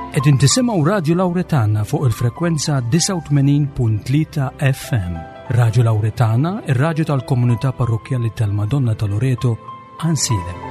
Qegħdin tisimgħu Radju Lawretana fuq il-frekwenza 89.3 FM. Radju Lawretana, ir-radju tal-komunità parrokkjali tal-Madonna ta' Loreto, Ansilem.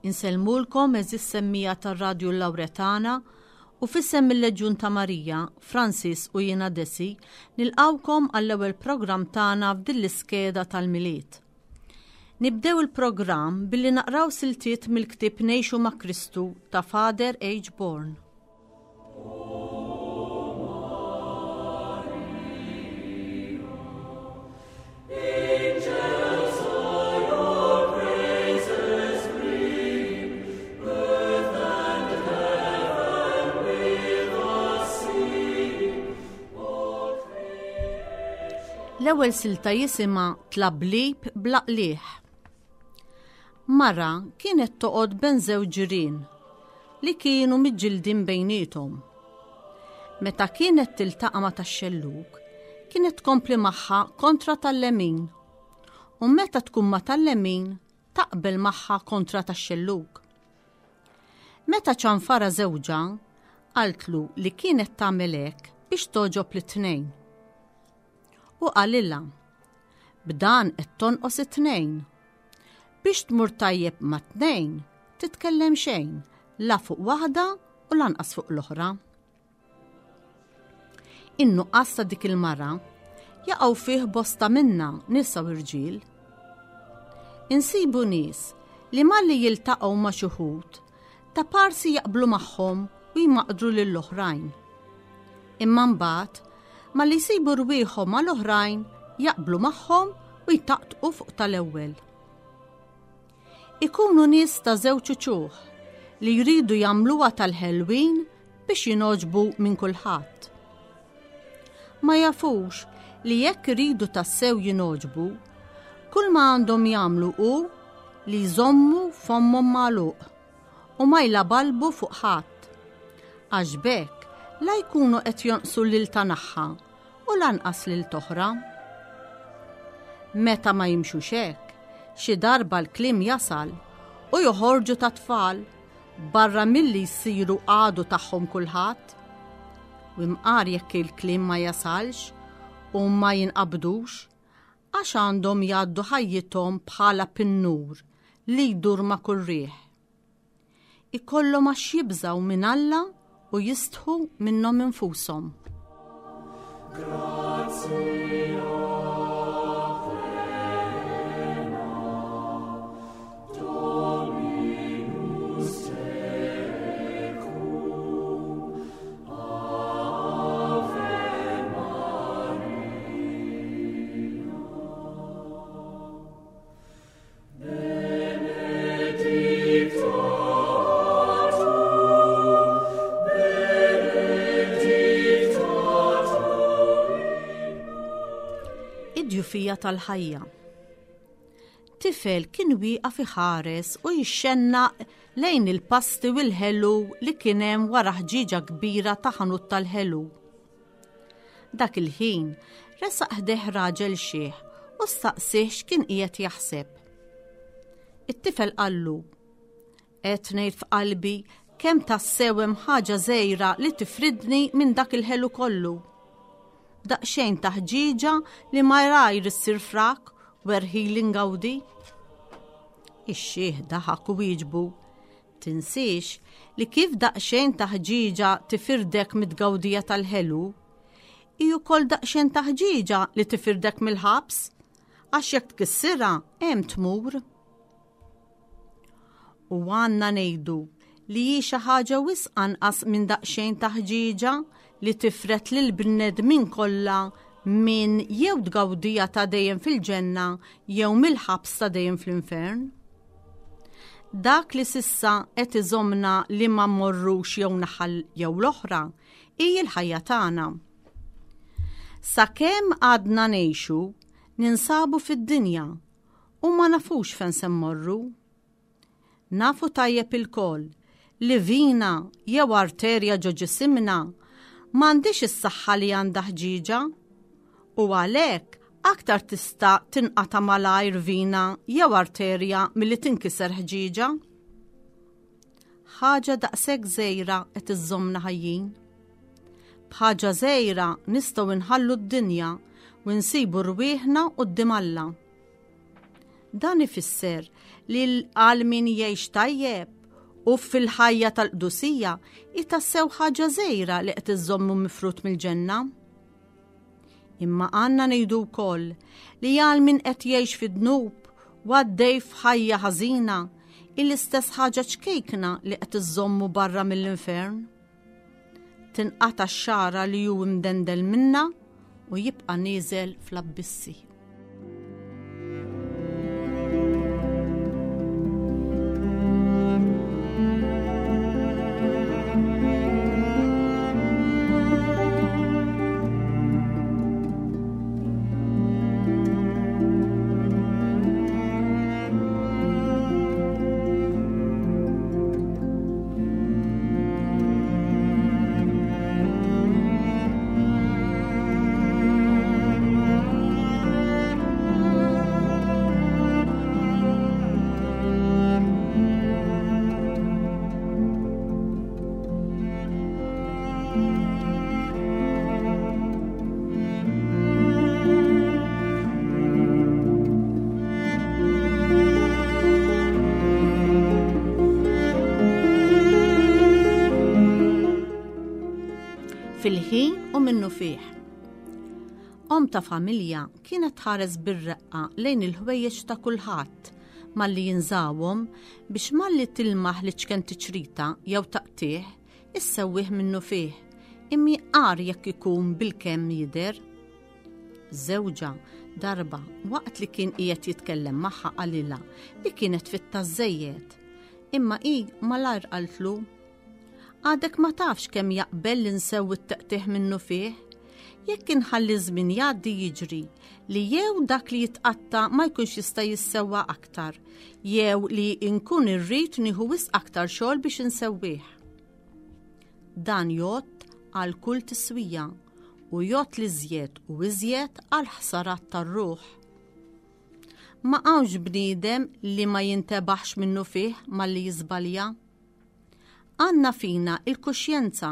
Insellmulkom eżis semmija tar-Radju Lawretana u fissem il-Leġjun ta' Marija, Francis u jiena Desi, nilqawkom għall-ewwel programm tagħna f'din l-iskeda tal-Milied. Nibdew il-programm billi naqraw siltiet mill-ktieb Ngħixu ma' Kristu ta' Father H. Bourne. L-ewwel silta jisimha Tlablib bla qligħ. Mara kienet toqgħod ben żewġ ġirien li kienu miġġildin bejniethom. Meta kienet tiltaqa' ma' tax-xellug, kienet tkompli magħha kontra tal-lemin u meta tkun ma' tal-lemin taqbel magħha kontra tax-xellug. Meta ċanfara żewġha, qaltlu li kienet tagħmel hekk biex togħġob lit-tnejn. U qalilha, B'dan qed tonqos it-tnejn. Biex tmur tajjeb mat-tnejn, titkellem xejn, la fuq waħda u lanqas fuq l-oħra. In-nuqqas ta' dik il-mara jaqgħu fih bosta minna nisa u rġiel. Insibu nies li malli jiltaqgħu ma' xi wħud ta' parsi jaqblu magħhom u jmaqdru lill-oħrajn. Imma mbagħad malli jsibu rwieħhom mal-oħrajn jaqblu magħhom u jtaqtqu fuq tal-ewwel. Ikunu nies ta' żewġ uċuħ li jridu jagħmluha tal-ħelwin biex jingħoġbu minn kulħadd. Ma jafux li jekk iridu tassew jingħoġbu, kull ma għandhom jagħmlu hu li jżommu fommhom magħluq u ma jlabalbu fuq ħadd. Għax b'hekk la jkunu qed jonqsu lil ta' naħħa u lanqas lil t'oħra. Meta ma jimxux hekk, xi darba l-kliem jasal u joħorġu ta' tfal barra milli jsiru għadu tagħhom kulħadd. U imqar jekk il-kliem ma jasalx u ma jinqabdux, għax għandhom jgħaddu ħajjithom bħala pinnur li jdur ma' kull riħ. Ikollhom għax jibżgħu minn Alla u jistħu minnhom infushom. Id-djufija tal-ħajja. It-tifel kien wieqaf iħares u jixxennaq lejn il-pasti u l-ħelu li kien hemm wara ħġieġa kbira ta' ħanut tal-ħelu. Dak il-ħin resaq ħdejh raġel xiħ u staqsih x'kien qiegħed jaħseb. It-tifel qallu, Qed ngħid f'qalbi kemm tassew hemm ħaġa żgħira li tifridni minn dak il-ħelu kollu. Daqsxejn ta' ħġieġa li malajr issir frak werħili ngawdi. Ix-xiħ daħak u wieġbu, Tinsiex li kif daqsxejn ta' ħġieġa tifirdek mit-tgawdija tal-ħelu, hi wkoll daqsxejn ta' ħġieġa li tifirdek mill-ħabs, għax jekk tkissirha hemm tmur. U għandna ngħidu li hi xi ħaġa wisq anqas minn daqsxejn ta' ħġieġa li tifred lill-bnedmin kollha minn jew tgawdija ta' dejjem fil-ġenna jew mill-ħabs ta' dejjem fl-infern. Dak li s'issa qed iżommna li ma mmorrux jew naħa jew l-oħra hi l-ħajja tagħna. Sakemm għadna ngħixu, ninsabu fid-dinja u ma nafux fejn se mmorru. Nafu tajjeb ilkoll li vina jew arterja ġo ġisimna m'għandhiex is-saħħa li għandha ħġieġa u għalhekk aktar tista' tinqata' malajr vina jew arterja milli tinkiser ħġieġa. Ħaġa daqshekk żgħira qed iżżommna ħajjin. B'ħaġa żgħira nistgħu nħallu d-dinja u nsibu rwieħna quddiem Alla. Dan ifisser li għal min jgħix tajjeb u fil-ħajja tal-qdusija hi tassew ħaġa żgħira li qed iżżommu mifrut mill-ġenna. Imma għandna ngħidu wkoll li għal min qed jgħix fid-dnub u għaddej f'ħajja ħażina hi l-istess ħaġa ċkejkna li qed iżżommu barra mill-infern. Tinqata' x-xagħra li hu imdendel minnha u jibqa' nieżel fl-abbissi. Fil-ħin u minnu fih. Om ta' familja kienet tħares bir-reqqa lejn il-ħwejjeġ ta' kulħadd malli jinżawhom biex malli tilmaħ li ċken tiċrita jew taqtih, issewwih minnu fih, imma agħar jekk ikun bilkemm jidher. Żewġha, darba, waqt li kien qiegħed jitkellem magħha qalilha li kienet fitta żżejjed. Imma hi malajr qaltlu, Għadek ma tafx kemm jaqbel li nsewwi t-teqtigħ minnu fih. Jekk inħalli ż-żmien jgħaddi jiġri li jew dak li jitqatta' ma jkunx jista' jissewwa aktar, jew li nkun irrid nieħu wisq aktar xogħol biex insewwih. Dan jgħodd għal kull tiswija u jgħodd l-iżjed u iżjed għall-ħsarat tar-ruħ. Ma hawnx bniedem li ma jintebaħx minnufih malli jiżbalja. Għandna fina il-kuxjenza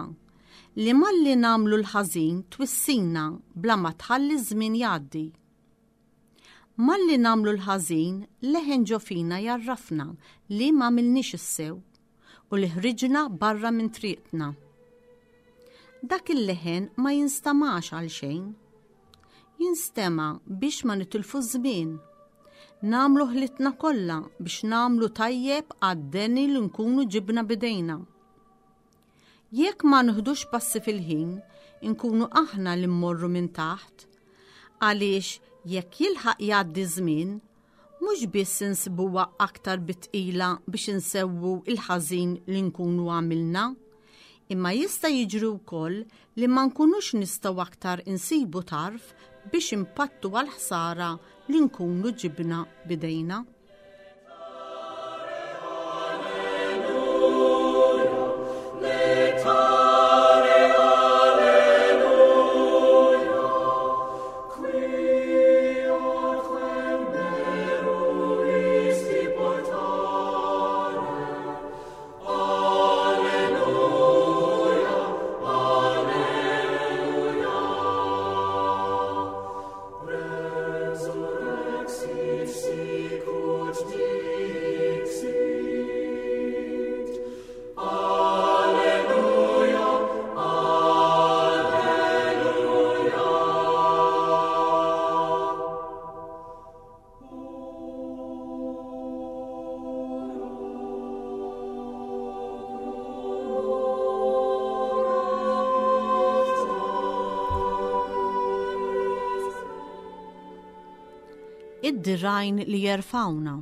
li malli nagħmlu l-ħażin twissina bla ma tħalli ż-żmien jgħaddi. Malli nagħmlu l-ħażin leħen ġo fina jgħarrafna li m'għamilniex is-sew u li ħriġna barra minn triqtna. Dak il-leħen ma jinstamax għal xejn. Jinstema' biex ma nitilfu ż-żmien. Nagħmlu ħlitna kollha biex nagħmlu tajjeb għad-deni li nkunu ġibna b'idejna. Jekk ma nħdux passi fil-ħin, inkunu aħna li mmorru minn taħt. Għaliex jekk jilħaq jgħaddi żmien, mhux biss insibuha aktar bi tqila biex insewwu l-ħażin li nkunu għamilna, imma jista' jiġri wkoll li ma nkunux nistgħu aktar insibu tarf biex inpattu għall-ħsara li nkunu ġibna b'idejna. Id-dirgħajn li jerfgħuna.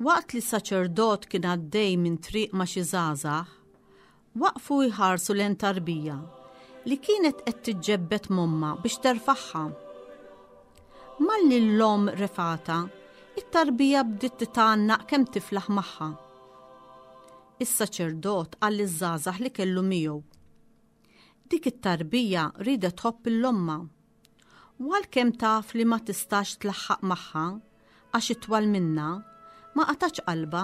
Waqt li saċerdot kien għaddej minn triq ma' xi żgħażagħ, waqfu jħarsu lejn tarbija li kienet qed tiġġebbed m'ommha biex terfagħha. Malli l-omm refgħatha, it-tarbija bdiet titgħannaq kemm tiflaħ magħha. Is-saċerdot qal liż-żgħażagħ li kellu miegħu. Dik it-tarbija riedet tħobb 'l ommha. U għalkemm taf li ma tistax tlaħħaq magħha għax itwal minnha, ma qatgħatx qalbha.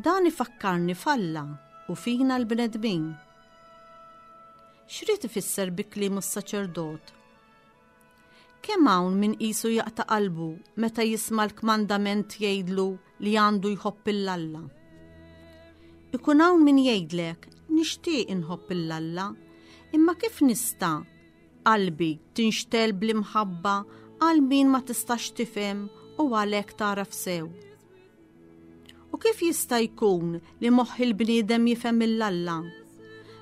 Dan ifakkarni f'Alla u fina l-bnedmin. X'ried ifisser bi kliemu s-saċerdot? Kemm hawn min qisu jaqta' qalbu meta jisma' l-kmandament jgħidlu li għandu jħobb 'il Alla. Ikun hawn min jgħidlek nixtieq inħobb 'il Alla, imma kif nista' qalbi tinxtel bl-imħabba għal min ma tistax tifhem u għalhekk tagħraf sew. U kif jista' jkun li moħħ il-bniedem jifhem 'il Alla,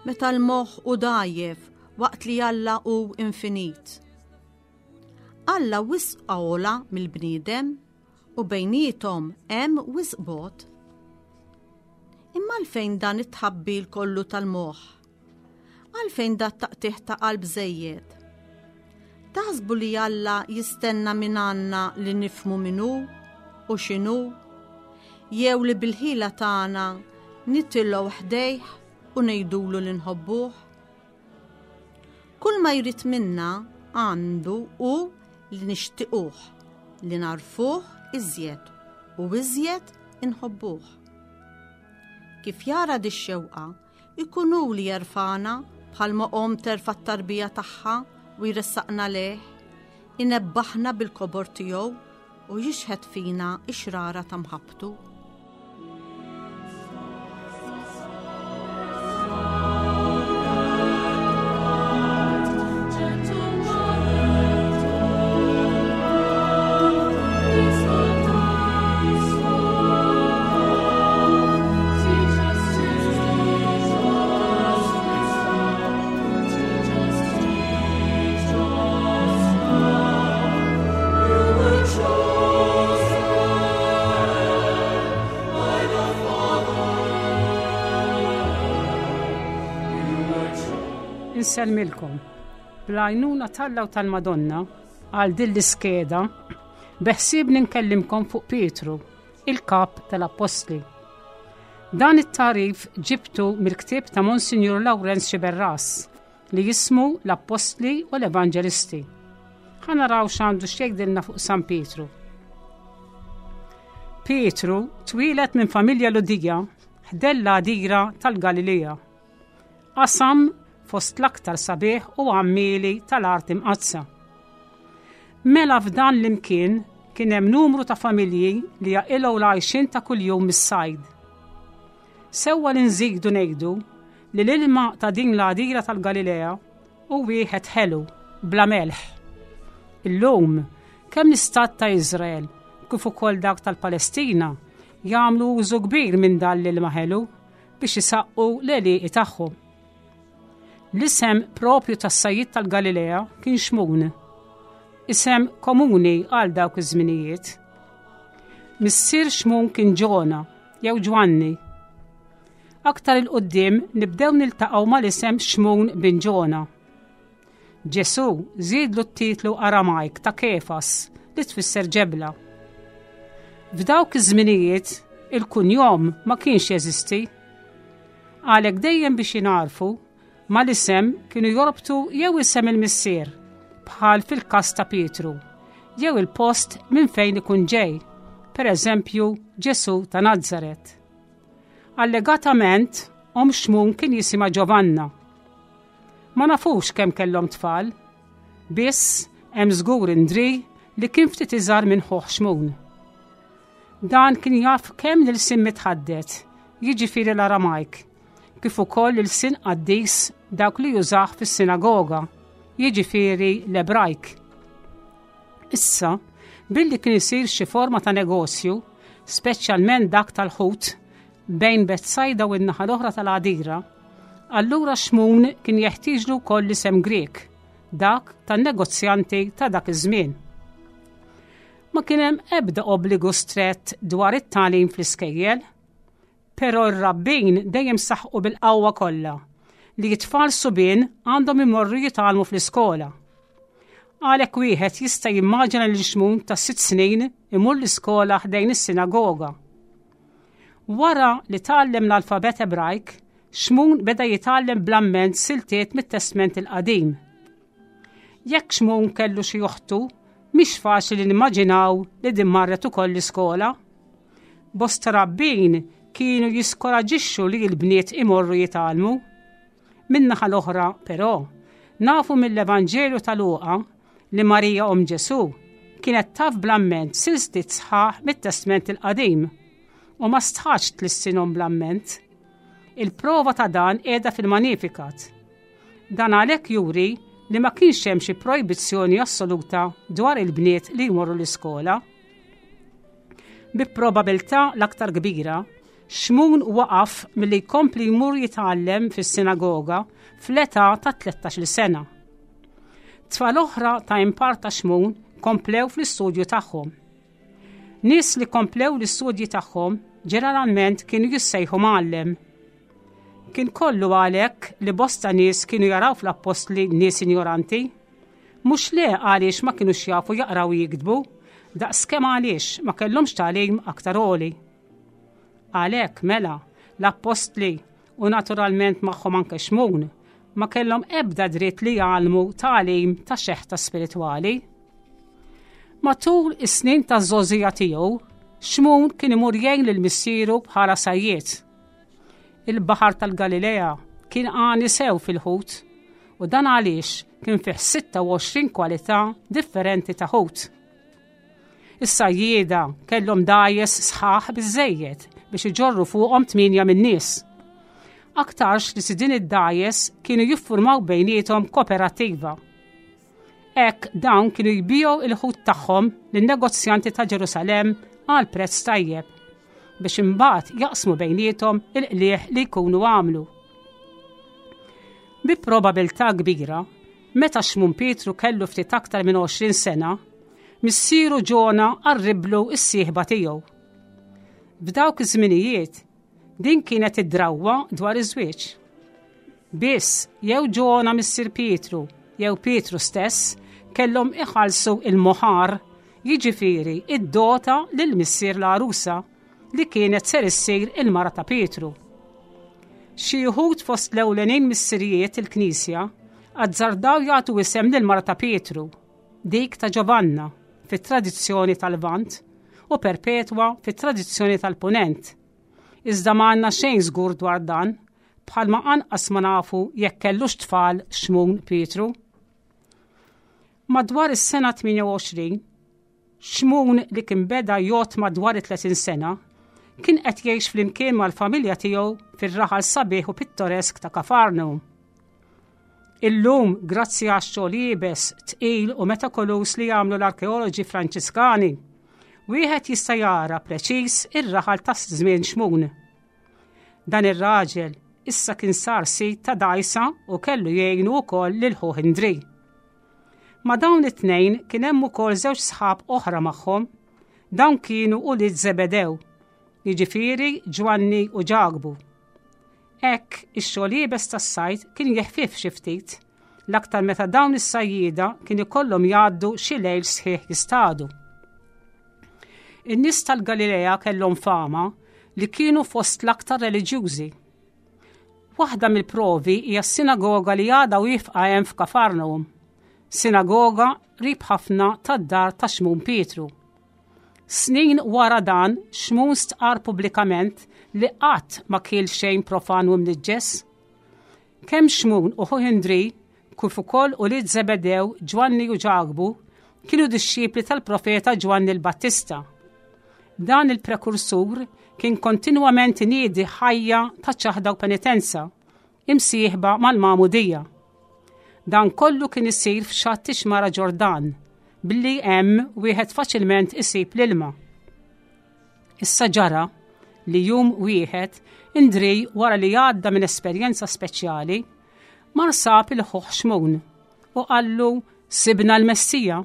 meta l-moħħ hu dgħajjef waqt li Alla hu infinit? Alla wisq ogħla mill-bniedem u bejniethom hemm wisq bogħod. Imma għalfejn dan it-tħabbil kollu tal-moħħ? Għalfejn dat taqtigħ ta' qalb żejjed? Taħsbu li Alla jistenna minn għandna li nifhmu min hu u x'inhu? Jew li bil-ħila tagħna nitilgħu ħdejh u ngħidulu li nħobbuh? Kull ma jrid minna għandu hu li nixtiquh, li nagħrfuh iżjed u iżjed inħobbuh. Kif jara dix-xewqa, Ikun hu li jerfagħna bħalma omm terfa' t-tarbija tagħha u jressaqna lejh, inebbaħna bil-kobor tiegħu u jixħet fina x-xrara ta' mħabbtu. Insellmilkom. Bl-għajnuna t'Alla u tal-Madonna għal din l-iskeda beħsiebni nkellimkom fuq Pietru, il-kap tal-Appostli. Dan it-tagħrif ġibtu mill-ktieb ta' Monsinjur Lawrenz Sciberras li jismu L-Appostli u l-Evanġelisti. Ħa naraw x'għandu x'jgħidilna fuq San Pietru. Pietru twieled minn familja Ludija ħdejn l-għadira tal-Galilea. Qasam fost l-aktar sabiħ u għammieli tal-art imqaddsa. Mela f'dan l-imkien kien hemm numru ta' familji li jaqilgħu l-għajxien ta' kuljum mis-sajd. Sewwa li nżidu ngħidu li l-ilma ta' din l-għadira tal-Galilea hu wieħed ħelu, bla melħ. Illum, kemm l-istat ta' Iżrael kif ukoll dak tal-Palestina jagħmlu użu kbir minn dan l-ilma ħelu biex isaqqu l-għelieqi tagħhom. L-isem propju tas-sajjied tal-Galilea kien Xmun, isem komuni għal dawk iż-żminijiet. Missier Xmun kien Ġona jew Ġwanni. Aktar 'il quddiem nibdew niltaqgħu mal-isem Xmun bin Ġona. Ġesù żiedlu t-titlu Aramajk ta' Kefas li tfisser ġebla. F'dawk iż-żminijiet il-kunjom ma kienx jeżisti. Għalhekk dejjem biex jingħarfu mal-isem kienu jorbtu jew isem il-missier, bħal fil-każ ta' Pietru, jew il-post minn fejn ikun ġej, pereżempju Ġesù ta' Nazaret. Allegatament, omm Xmun kien jisimha Ġovanna. Ma nafux kemm kellhom tfal, biss hemm żgur Indri li kien ftit iżgħar minn ħuh Xmun. Dan kien jaf kemm l-ilsien mitħaddet, jiġifieri l-Aramajk, kif ukoll l-ilsien qaddis dawk li jużah fis-sinagoga, jiġifieri l-Ebrajk. Issa, billi kien isir xi forma ta' negozju, speċjalment dak tal-ħut, bejn Betsajda u n-naħa l-oħra tal-għadira, allura Xmun kien jeħtieġlu wkoll l-isem Grieg, dak tan-negozjanti ta' dak iż-żmien. Ma kien hemm ebda obbligu strett dwar it-tagħlim fl-iskejjel. Però r-rabbin dejjem saħqu bil-qawwa kollha li t-tfal subien għandhom imorru jitgħallmu fl-iskola. Għalhekk wieħed jista' jimmaġina lil Xmun ta' sitt snin imur l-iskola ħdejn is-sinagoga. Wara li tgħallem l-alfabet Ebrajk, Xmun beda jitgħallem bl-amment siltiet mit-Testment il-Qadim. Jekk Xmun kellu xi oħtu, mhix faċli li nimmaġinaw li din marret ukoll l-iskola. Bosta rabbin kienu jiskoraġixxu li l-bniet imorru jitgħallmu. Min-naħa l-oħra, però, nafu mill-Evanġelju ta' Luqa li Marija omm Ġesù kienet taf bl-amment silstiet sħaħ mit-Testment il-Qadim u ma stħatx tlissinhom bl-amment. Il-prova ta' dan qiegħda fil-Magnificat. Dan għalhekk juri li ma kienx hemm xi projbizzjoni assoluta dwar il-bniet li jmorru l-iskola. Bi probabilità l-aktar kbira, Xmun waqaf milli jkompli jmur jitgħallem fis-sinagoga fl-età ta' 13-il sena. Tfal oħra ta' impar ta' Xmun komplew fl-istudju tagħhom. Nies li komplew l-istudji tagħhom ġeneralment kienu jissejħu mgħallem. Kien kollu għalhekk li bosta nies kienu jaraw fl-appostli nies injoranti. Mhux le għaliex ma kinux jafu jaqraw u jiktbu, daqskemm għaliex ma kellhomx tagħlim aktar għoli. Għalhekk, mela, l-appostli, u naturalment magħhom anke Xmun, ma kellhom ebda dritt li jgħallmu tagħlim ta' xeħta spiritwali. Matul is-snin taż-żgħożija tiegħu, Xmun kien imur jgħin lil missieru bħala sajjied. Il-Baħar tal-Galilea kien għani sew fil-ħut u dan għaliex kien fih 26 kwalità differenti ta' ħut. Is-sajjieda kellhom dgħajjes sħaħ biżżejjed biex iġorru fuqhom tmienja min-nies. Aktarx li sidien id-dgħajjes kienu jiffurmaw bejniethom koperattiva. Hekk dawn kienu jbigħu il-ħut tagħhom lin-negozjanti ta' Ġerusalemm għal prezz tajjeb biex imbagħad jaqsmu bejniethom il-qligħ li jkunu għamlu. Bi probabilità kbira, meta Xmun Pietru kellu ftit aktar minn 20 sena, missieru Ġona qarriblu s-sieħba tiegħu. F'dawk iż-żminijiet, din kienet id-drawwa dwar iż-żwieġ. Biss, jew Ġona missier Pietru, jew Pietru stess, kellhom iħallsu il-moħar, jiġifieri id-dota lil missier l-għarusa li kienet ser issir il-mara ta' Pietru. Xi wħud fost l-ewlenin missirijiet il-Knisja azzardaw jagħtu isem lil mara ta' Pietru, dik ta' Ġovanna fit-tradizzjoni tal-Lvant u Perpetwa fit-tradizzjoni tal-Punent. Iżda ma għandna xejn żgur dwar dan, bħalma anqas ma nafu jekk kellux tfal Xmun Pietru. Madwar is-sena 28, Xmun li kien beda jgħod madwar it-30 sena, kien qed jgħix flimkien mal-familja tiegħu fir-raħal sabiħ u pittoresk ta' Kafarnum. Illum, grazzi għax-xogħol iebes, tqil u metakoluż li jagħmlu l-arkeoloġi Franċiskani, wieħed jista' jara preċiż ir-raħal ta' żmien Xmun. Dan ir-raġel issa kien sar sid ta' dgħajsa u kellu jgħinu wkoll lil ħuh Indri. Ma' dawn it-tnejn kien hemm ukoll żewġ sħab oħra magħhom. Dawn kienu ulied Żebedew, jiġifieri Ġwanni u Ġakbu. Hekk, ix-xogħol iebes tas-sajd kien jeħfief xi ftit, l-aktar meta dawn is-sajjieda kien ikollhom jgħaddu xi lejl sħiħ jistadu. In-nies tal-Galilea kellhom fama li kienu fost l-aktar reliġjużi. Waħda mill-provi hija s-sinagoga li għadha wieqfa hemm f'Kafarnaum, sinagoga qrib ħafna tad-dar ta' Xmun Pietru. Snin wara dan, Xmun stqarr pubblikament li qatt ma kiel xejn profan u mniġġes. Kemm Xmun u ħuh Indri, kif ukoll ulied Żebedew, Ġwanni u Ġakbu, kienu dixxipli tal-profeta Ġwanni l-Battista. Dan il-prekursur kien kontinwament iniedi ħajja ta' ċaħda u penitenza, imsieħba mal-magħmudija. Dan kollu kien isir f'xatt ix-xmara Ġordan, billi hemm wieħed faċilment isib l-ilma. Issa ġara li jum wieħed Indri wara li għadda minn esperjenza speċjali, mar sab il-ħuħ Xmun u qallu sibna l-Messija.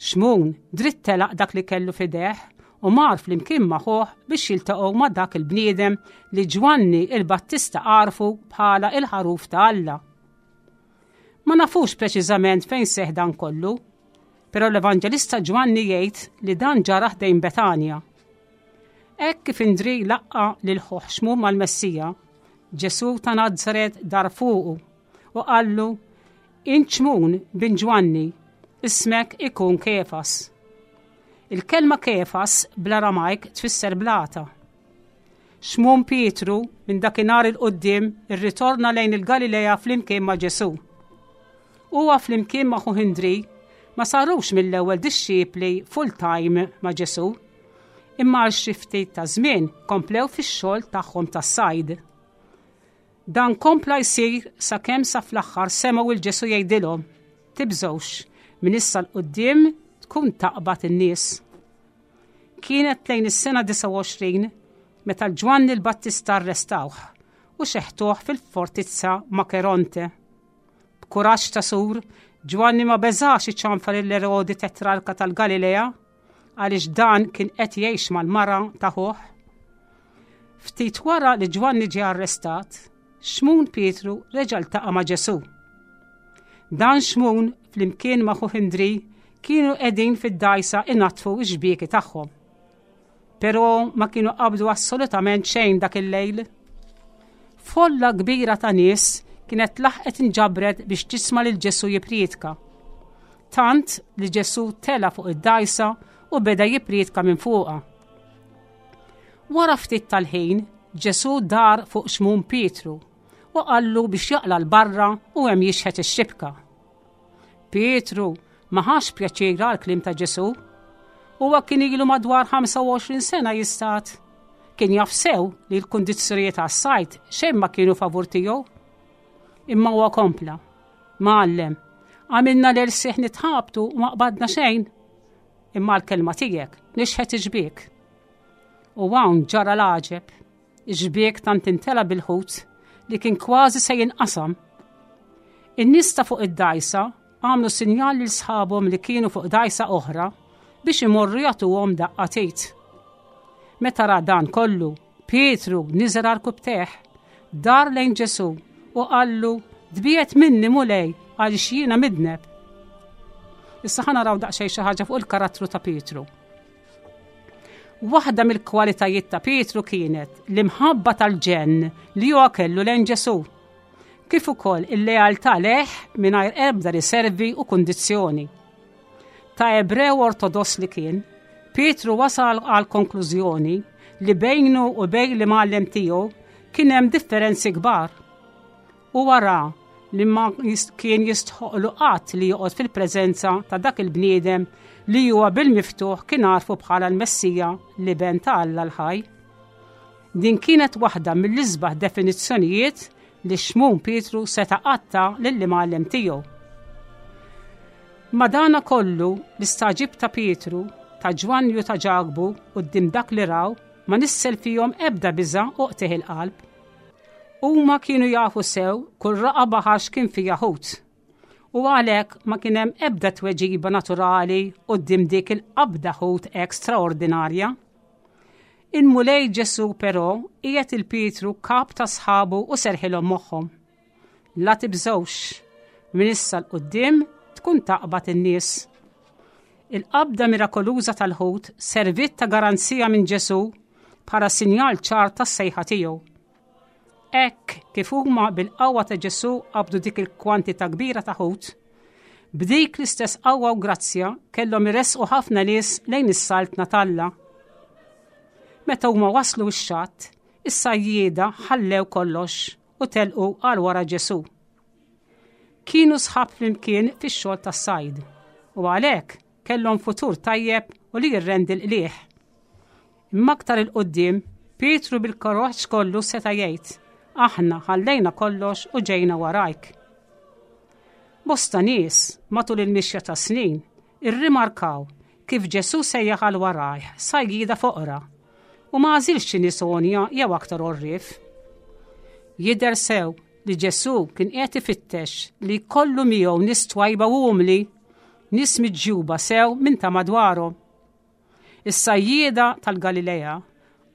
Xmun dritt telaq dak li kellu f'idejh u mar flimkien ma' ħuh biex jiltaqgħu ma' dak il-bniedem li Ġwanni il-Battista għarfu bħala il-ħaruf ta' Alla. Ma nafux preċiżament fejn seħ dan kollu, però l-Evanġelista Ġwanni jgħid li dan ġara ħdejn Betanja. Hekk kif Indri laqqa lil ħuh Xmun mal-Messija, Ġesù ta' Nazaret dar fuqu u qallu Int Xmun, bin Ġwanni, ismek ikun Kefas. Il-kelma Kefas bl-Aramajk tfisser blata. Xmun Pietru minn dakinhar 'il quddiem irritorna lejn il-Galilea flimkien ma' Ġesù. Huwa flimkien ma' ħuh Indri ma sarux mill-ewwel dixxipli full-time ma' Ġesù, imma għal xi ftit ta' żmien komplew fix-xogħol tagħhom tas-sajd. Dan kompla jsir sakemm sa fl-aħħar semgħu 'l Ġesù jgħidilhom, Tibżgħux, minn issa 'l quddiem tkun taqbad in-nies. Kienet lejn is-sena 29 meta l-Ġwanni l-Battista arrestawh u xeħtuh fil-fortizza Makeronte. B'kuraġġ ta' sur, Ġwanni ma beżax iċanfar lil Erodi tetrarka tal-Galilea għaliex dan kien qed jgħix mal-mara ta' ħuh. Ftit wara li Ġwanni ġie arrestat, Xmun Pietru reġa' ltaqa' ma' Ġesù. Dan Xmun flimkien ma' ħuh Indri kienu qegħdin fid-dgħajsa inaddfu x-xbieki tagħhom. Però ma kienu qabdu assolutament xejn dak il-lejl. Folla kbira ta' nies kienet laħqet inġabret biex tisma' lil Ġesù jipprietka. Tant li Ġesù tela' fuq id-dgħajsa u beda jipprietka minn fuqha. Wara ftit tal-ħin, Ġesù dar fuq Xmun Pietru u qallu biex jaqla' 'l barra u hemm jixħet ix-xibka. Pietru ma ħax pjaċir għall-kliem ta' Ġesù. Huwa kien ilu madwar 25 sena jistad. Kien jaf sew li l-kundizzjonijiet għas-sajd xejn ma kienu favur tiegħu. Imma huwa kompla. Mgħallem, għamilna l-ersieħ nitħabtu u ma qbadna xejn. Imma l-kelma tiegħek nixħet ix-xbiek. U hawn ġara l-għaġeb. Ix-xbiek tant intela bil-ħut li kien kważi se jinqasam. In-nies ta' fuq id-dgħajsa għamlu sinjal lil sħabhom li kienu fuq dgħajsa oħra biex imorru jagħtuhom daqqa t'id. Meta ra dan kollu, Pietru niżel għarkupptejh, dar lejn Ġesù u qallu, Tbiegħed minni, Mulej, għaliex jiena midneb. Issa ħa naraw daqsxejn xi ħaġa fuq il-karattru ta' Pietru. Waħda mill-kwalitajiet ta' Pietru kienet l-imħabba tal-ġenn li huwa kellu lejn Ġesù, kif ukoll il-lealtà lejh mingħajr ebda riservi u kundizzjoni. Ta' Ebrew Ortodoss li kien, Pietru wasal għal konklużjoni li bejnu u bejn l-imgħallem tiegħu kien hemm differenzi kbar. Huwa ra li ma kien jistħoqlu qatt li joqgħod fil-preżenza ta' dak il-bniedem li huwa bil-miftuħ kien għarfu bħala l-Messija l-Iben ta' Alla l-ħaj. Din kienet waħda mill-isbaħ definizzjonijiet li Xmun Pietru seta' qatt ta lill-imgħallem tiegħu. Madana kollu l-istagħġib ta' Pietru, ta' Ġwanni u ta' Ġakbu quddiem dak li raw ma nissel fihom ebda biża' u qtigħ il-qalb. Huma kienu jafu sew kull raqa' baħar x'kien fiha ħut. U għalhekk ma kien hemm ebda tweġiba naturali quddiem dik il-qabda ħut hekk straordinarja. Il-Mulej Ġesù però qiegħed il Pietru kap ta' sħabu u serħilhom moħħhom. La tibżgħux, minn issa 'l quddiem tkun taqbad in-nies. Il-qabda mirakoluża tal-ħut serviet ta' garanzija minn Ġesù bħala sinjal ċar tas-sejħa tiegħu. Hekk kif huma bil-qawwa ta' Ġesù qabdu dik il-kwantità kbira ta' ħut, b'dik l-istess qawwa u grazzja kellhom iressqu ħafna nies lejn is-saltna t'Alla. Meta huma waslu x-xatt, is-sajjieda ħallew kollox u telqu għal wara Ġesù. Kienu sħab flimkien fix-xogħol tas-sajd u għalhekk kellhom futur tajjeb u li jirrendi l-qligħ. Imma aktar 'il quddiem, Pietru bil-kuraġġ kollu seta' jgħid, Aħna ħallejna kollox u ġejna warajk. Bosta nies, matul il-mixja tas-snin, irrimarkaw kif Ġesù sejjaħ għal warajh sajjieda foqra u ma għażilx xi nies għonja jew aktar għorrief. Jidher sew li Ġesù kien qiegħed ifittex li jkollu miegħu nies twajba u umli. Nies miġjuba sew minn ta' madwarhom. Is-sajjieda tal-Galilea,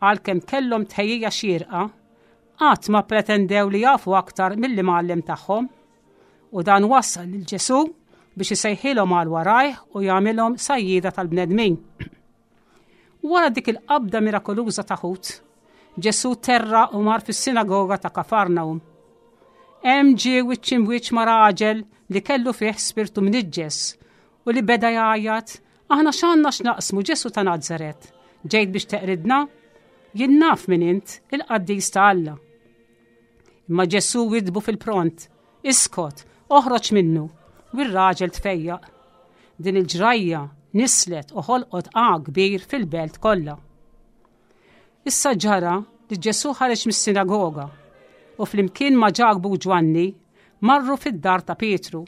għalkemm kellhom tħejjija xierqa, qatt ma ppretendew li jafu aktar mill-imgħallem tagħhom. U dan wassal lil Ġesù biex isejħilhom għal warajh u jagħmilhom sajjieda tal-bnedmin. Wara dik il-qabda mirakoluża ta' ħut, Ġesù terra u mar fis-sinagoga ta' Kafarnaum. Hemm ġie wiċċ imwiċċ ma' raġel li kellu fih spirtu mniġġes u li beda jgħajjat, Aħna x'għandna x'naqsmu Ġesù ta' Nazaret? Ġejt biex teqridna? Jien naf min int, il-qaddis ta' Alla. Imma Ġesù widbu fil-pront, Iskot, oħroġ minnu, u r-raġel tfejjaq. Din il-ġrajja nislet u ħolqot għa kbir fil-belt kollha. Issa ġara li Ġesù ħareġ mis-sinagoga u flimkien ma' Ġakbu u Ġwanni marru fid-dar ta' Pietru.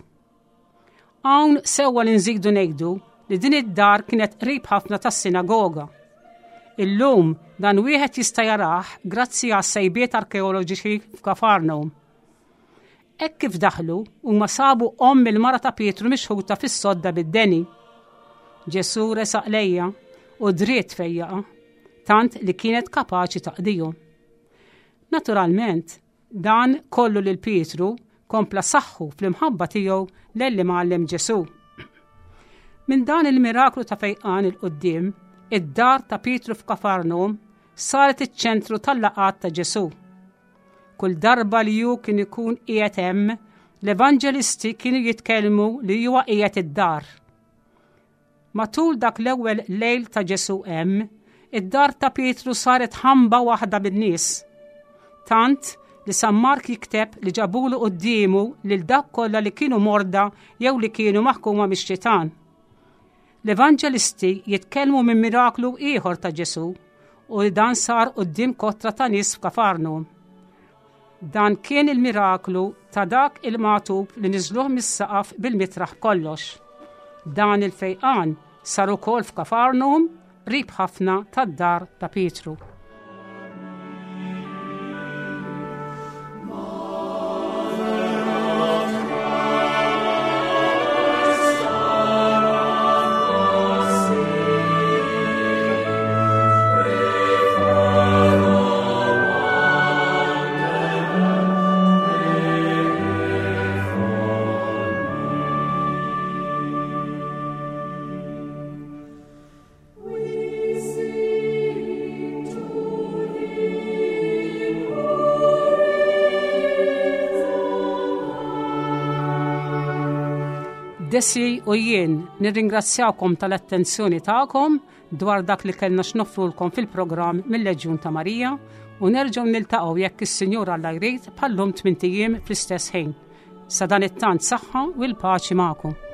Hawn sewwa li nżidu ngħidu li din id-dar kienet qrib ħafna tas-sinagoga. Illum dan wieħed jista' jarah grazzi għas sejbiet arkeoloġiċi f'Kafarnaum. Hekk kif daħlu, huma sabu omm il-mara ta' Pietru mixħuta fis-sodda bid-deni. Ġesù resaq lejha u dritt fejjaqha, tant li kienet kapaċi taqdihom. Naturalment, dan kollu lil Pietru kompla saħħu fl-imħabba tiegħu lejn l-Imgħallem Ġesù. Minn dan il-miraklu ta' fejqan 'il quddiem, id-dar ta' Pietru f'Kafarnum saret iċ-ċentru tal-laqgħat ta' Ġesù. Kull darba li hu kien ikun qiegħed hemm, l-evanġelisti kienu jitkellmu li huwa qiegħed id-dar. Matul dak l-ewwel lejl ta' Ġesù hemm, id-dar ta' Pietru saret ħamba waħda bin-nies. Tant li San Mark jikteb li ġabulu quddiemu lil dak kollha li kienu morda jew li kienu maħkuma mix-xitan. L-Evanġelisti jitkellmu minn miraklu ieħor ta' Ġesù u li dan sar quddiem kotra ta' nies f'Kafarnum. Dan kien il-miraklu ta' dak il-magħtub li niżluh mis-saqaf bil-mitraħ b'kollox. Dan il-fejqan sar ukoll f'Kafarnum, qrib ħafna tad-dar ta' Pietru. Desi u jien nirringrazzjakom tal-attenzjoni tagħkom dwar dak li kellna x'noffrulkom fil-programm mill-Leġjun ta' Marija u nerġgħu niltaqgħu jekk is-Sinjur Alla jrid bħallum tmint ijiem fl-istess ħin. Sa dan it-tant saħħa u l-paċi magħkom.